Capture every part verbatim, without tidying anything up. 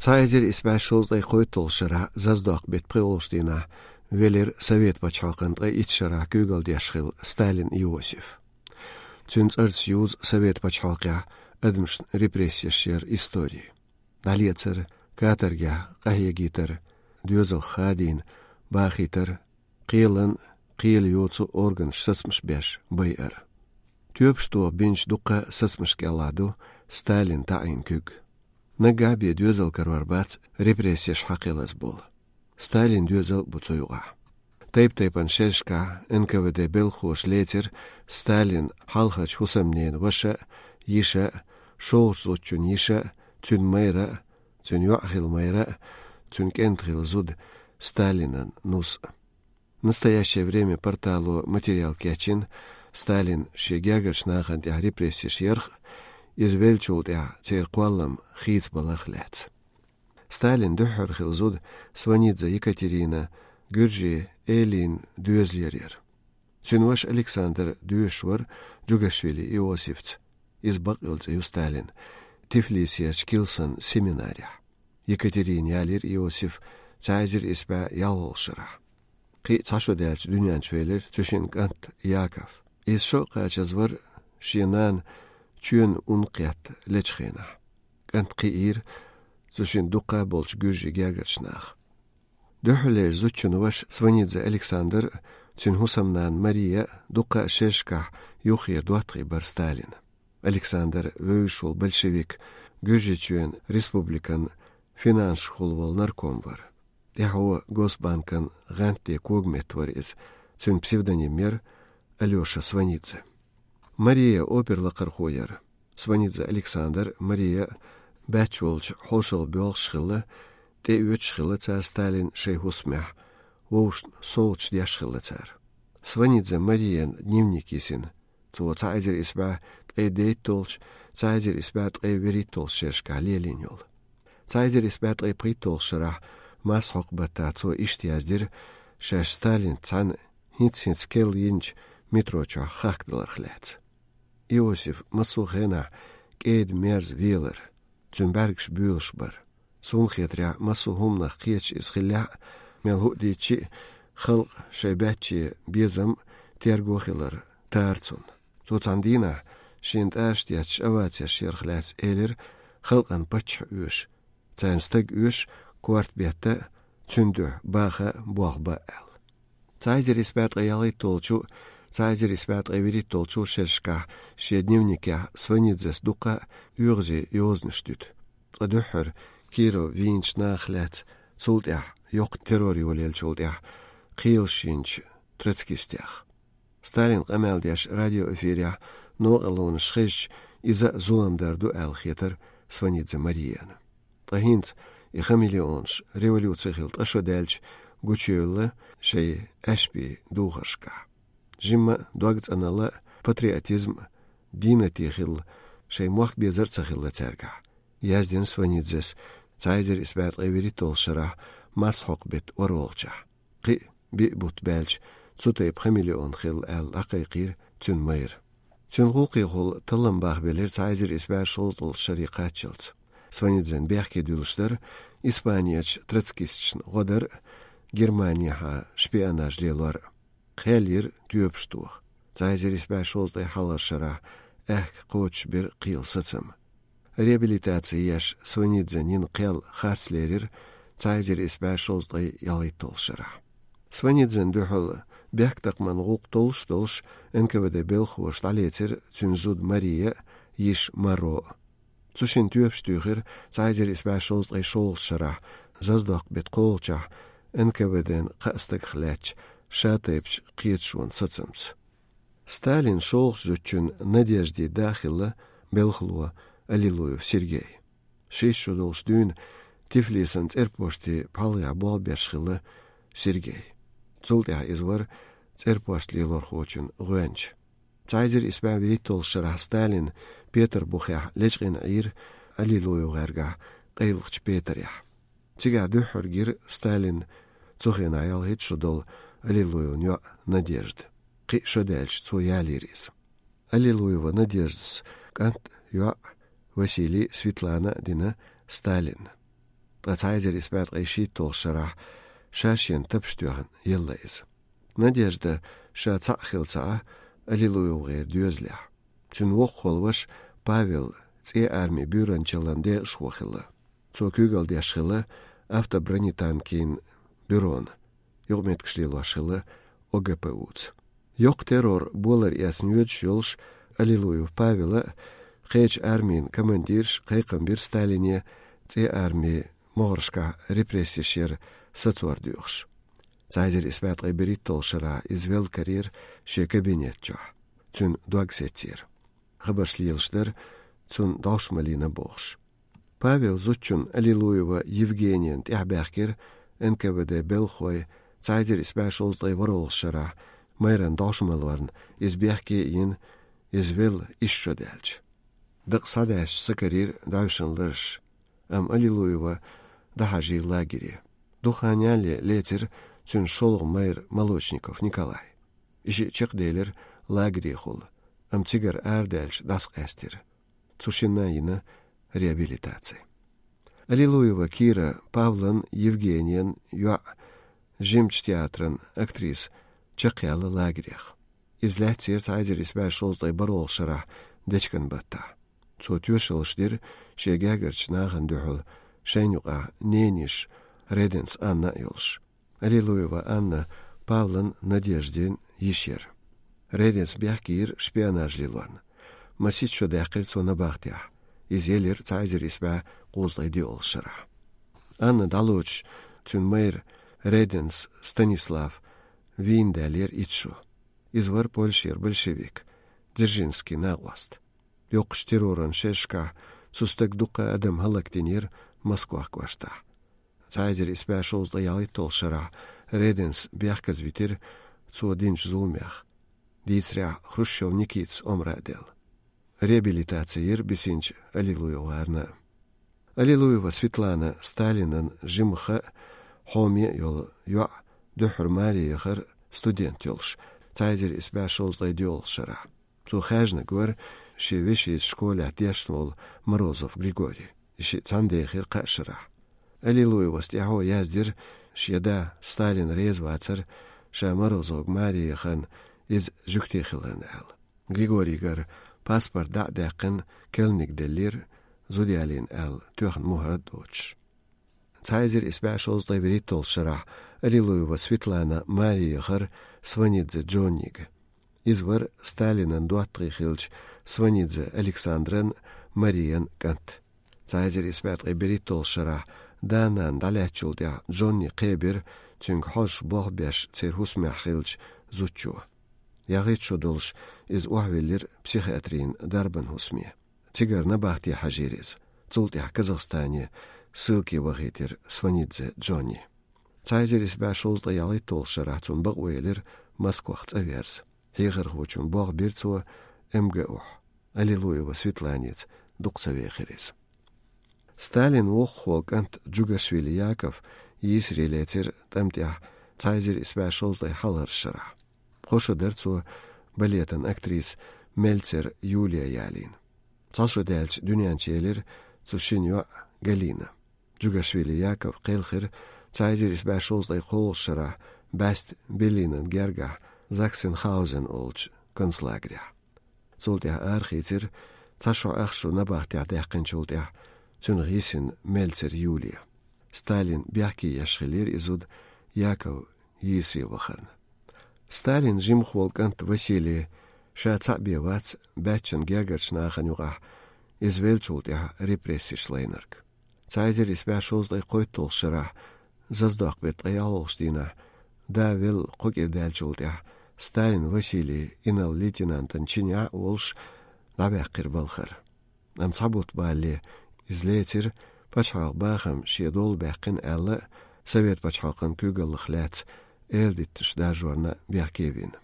Цхьа эзар исс бӀе шовзткъе кхойтталгӀача шарахь, Зазадоккху беттан пхоьалгӀачу дийнахь, велира Совет пачхьалкхана ткъе итт шарахь куьйгалла деш хилла Сталин Иосиф. Цуьнан цӀарца юзу Совет пачхьалкхехь адамашна репрессеш яран истори. ДӀалецар, каторгехь къахьегийтар, доьзалх хадийна, бахийтар, кхелан, кхелан йоцу органаш сацамаш беш байар. Тоьпаш тоха бинчу дуккха а сацамашна кӀелахь ду Сталин таӀийна куьг. Наггахь бен доьзал карор бац репрессеш хьакхелаза болу. Сталин доьзал а бу цу юкъахь. Тайп-тайпана шерашкахь Н К В Д белхалоша лецира Сталин хьалхарчу хӀусамненан ваша а, йиша а, шолгӀачу зудчун йиша а, цуьнан майра а, цуьнан йоӀ хилла майра а, цуьнан кӀентан хилла зуда Сталинан нус а. «Настоящее время» портало материал кечйина Сталин шен гергарчу нахана тӀехь репрессеш ярх а, иза веллачул тӀаьхьа церан кхоллам хийцабаларх а лаьцна. Сталинан дуьххьара хилла зуда Сванидзе Екатерина гуьржийн элина доьзалера яра. Цуьнан ваша Александр доьшуш вара Джугашвили Иосифца. Иза бакъйолу цӀе ю Сталинан, Тифлисерчу Килсан семинарехь. Екатерина ялийра Иосиф цхьа эзар исс бӀе ялхолгӀачу шарахь. Кхин а цхьа шо даьлча дуьнен чу велира цу шиннан кӀант Яков. Иза шо а кхачаза вара шен нана чоьнан ун кхетта лечу хенахь. КӀант кхиийра цу шиннан дуккха а болчу гуьржийн гергарчу наха. Дуьххьарлерчу зудчун ваша Сванидзе Александр а, цуьнан хӀусамнана Мария а дуккха а шерашкахь юххера доттагӀий бара Сталина. Александр вевзаш волу большевик, Гуьржийчоьнан республикан финансашкахула волу нарком вара. ТӀаьхьо Госбанкан гӀантден когаметта вара иза, цуьнан псевдоним яра Алёша Сванидзе. Мария опера лакхархо яра. Сванидзе Александр а, Мария а баьчча волчу хьошалла боьлхуш хилла, тӀеоьцуш хилла цара Сталин шайн хӀусамехь, вовшашна совгӀаташ деш хилла цара. Сванидзе Мариян дневник йисина. Цо цхьа эзар исс бӀе ткъе дейтталгӀачу, цхьа эзар исс бӀе ткъе вуьрхӀитталгӀачу шерашкахь лелийна йолу. Цхьа эзар исс бӀе ткъе пхийтталгӀачу шарахь, марсхьокху баттахь цо иштта яздира, шаьш Сталинца цхьаьна хӀинца-хӀинца керла йинчу метро чохь хахкадаларх лаьцна. Иосиф массо а хенахь кӀеда-мерза велара, цуьнан бӀаьргаш буьйлуш бара. Суна хетарехь, массо а хӀуманах кхеташ иза хиллехь а, мел хӀуъа дийцча а, халкъан шайн баьччан безам а, терго а хилар тара цунна. Цо цхьана дийнахь шена тӀараш тетташ овацеш ярх лаьцна элира: «Халкъан паччахь оьшу, царна стаг оьшу, корта бетта а, цуьнан дуьхьа баха а, болх бан а», – аьлла. Цхьа эзар исс бӀе ткъе ялхитталгӀачу, цхьа эзар исс бӀе ткъе вуьрхӀитталгӀачу шерашкахь шен дневникехь Сванидзес дуккха а оьгӀазе йозанаш дуьту. Цкъа дуьххьара Киров вийначу нахах лаьцна, цул тӀаьхьа йоккха террор йолаеллачул тӀаьхьа кхелаш йинчу троцкистех. Сталина къамел деш радиоэфирехь новкъарлонаш хезча, иза а зулам дар ду аьлла хетара Сванидзе Марияна. Ткъа хӀинца и хамелеонаш, революци хилла ткъа шо даьлча, гучуевлла шайн аьшпийн духаршкахь. Жимма а дог цӀаналла а, патриотизм а, дийнатте хилла, шайн мохк безар а ца хилла цаьргахь, яздина Сванидзес цхьа эзар исс бӀе ткъе вуьрхӀитталгӀачу шарахь марсхьокху беттан ворхӀалгӀачохь. Кхин а биъ бутт баьлча, цу тайпа хамелеон хилла аьлла, дӀакхайкхийра цуьнан майра. Цуьнан гӀуллакхехула таллам бахабелира цхьа эзар исс бӀе шовзткъалгӀачу шаре кхаччалц. Сванидзен бехке дуьллуш дара Испанерчу троцкисташна гӀо дар а, Германехьа шпионаж лелор а. Кхел йира тоьпаш тоха. Цхьа эзар исс бӀе шовзткъе хьалхарчу шарахь аьхка кхочушбира кхелан сацам. Реабилитаци еш Сванидзен йина кхел харц лерира цхьа эзар исс бӀе шовзткъе ялхитталгӀачу шарахь. Сванидзен дуьхьал бехктакхаман гӀуллакх толлуш а долуш, Н К В Д белхалоша дӀалецира цуьнан зуда Мария а, йиша Маро а. Цу шинна тоьпаш туьйхира цхьа эзар исс бӀе шовзткъе шолгӀачу шарахь, Зазадоккху беттан кхоалгӀачохь, Н К В Д-н кхаа стагах лаьттачу шатайпачу кхеташонан сацамца. Сталинан шолгӀачу зудчун Надеждин да хилла белхало Аллилуев Сергей. Шийтта шо долуш дуьйна Тифлисан цӀерпошти пхьалгӀехь болх беш хилла Сергей. Цул тӀаьхьа иза вара цӀерпошта лелорхочун гӀоьнча. Цхьа эзар исс бӀе вуьрхӀитталгӀачу шарахь Сталина Петарбухехь лечкъина Ӏийра Аллилуев гӀаьргахь къайлахчу Петарехь. Цигахь дуьххьара гира Сталина цу хенахь ялхитта шо долу Аллилуевн йоӀ Надежда. Кхин а шо даьлча, цо ялийра иза. Аллилуева Надеждас кӀант а, йоӀ а, Василий а, Светлана а дина Сталина. Ткъа цхьа эзар исс бӀе ткъе шийтталгӀача шарахь ша шена тапаш тоьхна елла иза. Надежда ша цхьаъ хилла ца Ӏа Аллилуевгара доьзалехь. Цуьнан воккхагӀа волу ваша Павел ЦӀен армин бюрон челлан декъашхо хилла. Цо куьйгалла деш хилла автобронетанкийн бюрона, юкъаметтигаш лелош хилла ОГПУ-ца. Йоккха террор болар эцна йоьдуш йолуш Аллилуев Павела а, кхечу армийн командираш а кхайкхам бира Сталине ЦӀен армин могӀаршкахь репрессеш яр сацор доьхуш. Цхьа эзар исс бӀе ткъе берхӀитталгӀачу шарахь иза велла карийра шен кабинет чохь, цуьнан дог сецира. Хабарш лелаш дара, цунна дӀовш ма лийна бохуш. Павел зудчунна Аллилуева Евгенияна тӀаьхьабаьхкира НКВД белхахой цхьа эзар исс бӀе шовзткъе ворхӀалгӀачу шарахь майрана дӀовш маларна, иза бехке а йина, иза велла исс шо даьлча. Дакъа схьадаьстича ца карийра дӀовшан лараш, амма Аллилуева дӀахьажийра лагере. Дукха хан ялале лецира цуьнан шолгӀа майра Молочников Николай. И шиъ чекхделира лагерехула, амма цигара арадаьлча дӀасакъаьстира. Цу шинна а йина реабилитаци. Аллилуева Кира, Павлан Евгениян йоӀ, жимачу театран актриса, чекхъяьлла лагерех. Иза лаьцнера цхьа эзар исс бӀе шовзткъе бархӀалгӀачу шарахь дечкен-баттахь. Цо тоьшаллаш дира шен гергарчу нахана дуьхьал, шайна юкъахь ненайиша Реденц Анна а йолуш. Аллилуева Анна Павлан, Надеждин йиша яра. Реденц бехке йира шпионаж лелорна. Масех шо даьккхира цо набахтехь. Иза елира цхьа эзар исс бӀе кхузткъе диъалгӀачу шарахь. Анна дӀалоцуш, цуьнан майра Реденц Станислав вийна даьллера итт шо. Иза вара Польшера большевик, Дзержинскийн накъост. Йоккхачу терроран шерашкахь цу стага дуккха а адам хӀаллакдинера Москвах кӀоштахь. Цхьа эзар исс бӀе шовзткъе ялхитталгӀачу шарахь Реденц бехказавитира цо динчу зуламех, дийцарехь, Хрущев Никитас омра а делла. Реабилитаци йира бисинчу АллилуевгӀарна. Аллилуева Светлана Сталинан жимха а, хьоме а йолу йоӀ, дуьххьара маре яхара студент йолуш, цхьа эзар исс бӀе шовзткъе диъалгӀачу шарахь. Цо хаьржинарг вара шен вешица школехь дешна волу Морозов Григорий. И шиъ цхьаьна дехира кхаа шарахь. Аллилуевас тӀаьхьо яздира шен да, Сталин реза вацара, ша Морозовга маре яхарна, иза жуьгти хиларна аьлла. Григорийгара паспорт дӀа а даьккхина, керланиг деллера, зуда ялийна аьлла, тоьхна мухӀар а доцуш. Цхьа эзар исс бӀе шовзткъе вуьрхӀитталгӀачу шарахь Аллилуева Светлана маре яхара Сванидзе Джоннига. Иза вара Сталинан доттагӀий хиллачу Сванидзе Александран, Мариян кӀант. Цхьа эзар исс бӀе ткъе берхӀитталгӀачу шарахь да-нана дӀалаьцначул тӀаьхьа Джонни кхебира, цуьнга хьожуш болх беш церан хӀусамехь хиллачу зудчо. ЯхӀитта шо долуш иза охьавиллира психиатрийн дарбан хӀусаме. Цигара набахте хьажийра иза. Цул тӀаьхьа Казахстане ссылке вахийтира Сванидзе Джонни. Цхьа эзар исс бӀе шовзткъе ялхитталгӀачу шарахь цунна бакъо елира Москвах цӀа верза. Хьехархочун болх бира цо МГУ-хь. Аллилуева Светланеца дукха ца вехира иза. Сталинан воккхах волу кӀант Джугашвили Яков йийсаре лецира тӀам тӀехь цхьа эзар исс бӀе шовзткъе хьалхарчу шарахь. Кхо шо дара цо балетан актриса Мельцер Юлия ялийна. Цхьа шо даьлча дуьнен чу елира цу шина йоӀ Галина. Джугашвили Яков кхелхира цхьа эзар исс бӀе шовзткъе кхоалгӀачу шарахь бӀаьста Берлинан гергахь Заксенхаузен олучу концлагерехь. Цул тӀаьхьа арахийцира, цхьа шо ах шо набахтехь даьккхинчул тӀаьхьа цуьнан йисина Мельцер Юлия. Сталин бехке еш хиллера и зуда Яков йийсаре вахарна. Сталинан жимах волу кӀант Василий ша цхьаъ бен вац, баьччан гергарчу нахана юкъахь, иза веллачул тӀаьхьа репрессеш лайнарг. Цхьа эзар исс бӀе шовзткъе кхойтталгӀачу шарахь, зазадоккху беттан ткъе ялхалгӀачу дийнахь, да велла кхо кӀира даьллачул тӀаьхьа Сталин Василий инарла-лейтенантан чин яӀ а волуш, дӀаваьккхира балхара. Амма цхьа бутт балале иза лецира, пачхьалкхан бахам шен дола баьккхина аьлла, Совет пачхьалкхан куьйгаллех лаьцна эладитташ даржорна бехке а вина.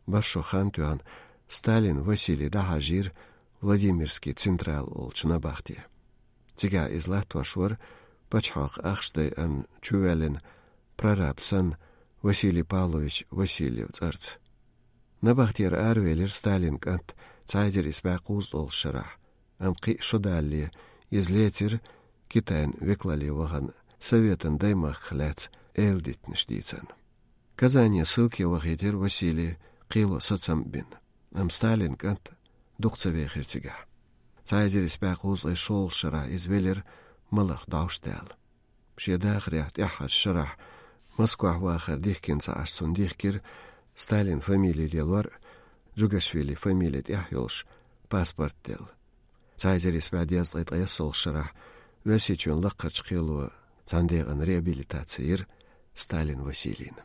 БархӀ шо хан тоьхна Сталин Василий дӀахьажийра Владимирский Централ олучу набахте. Цигахь иза латтош вара пачхьалкхан ахча дайарна чувоьллина прораб санна Василий Павлович Васильев цӀарца. Набахтера аравелира Сталинан кӀант цхьа эзар исс бӀе кхузткъалгӀачу шарахь, амма кхин а шо далале иза лецира Китайн векалле вахана Советан даймахках лаьцна эладитанаш дийцина. Казане ссылке вахийтира Василий, кхело сацам а бина. Амма Сталина кӀант дукха ца вехира цигахь. Цхьа эзар исс бӀе кхузткъе шолгӀачу шарахь иза велира, маларх дӀовш даьлла. Шен дахарехь тӀаьххьарчу шарахь Москвахь вахар дихкина ца Ӏаш, цунна дихкира Сталина фамили лелор а, Джугашвили фамили тӀехь йолуш паспорт делла. Цхьа эзар исс бӀе дезткъе ткъайоьсналгӀачу шарахь Оьрсийчоьнан лакхарчу кхело цхьана декъана реабилитаци йира Сталина Василийна.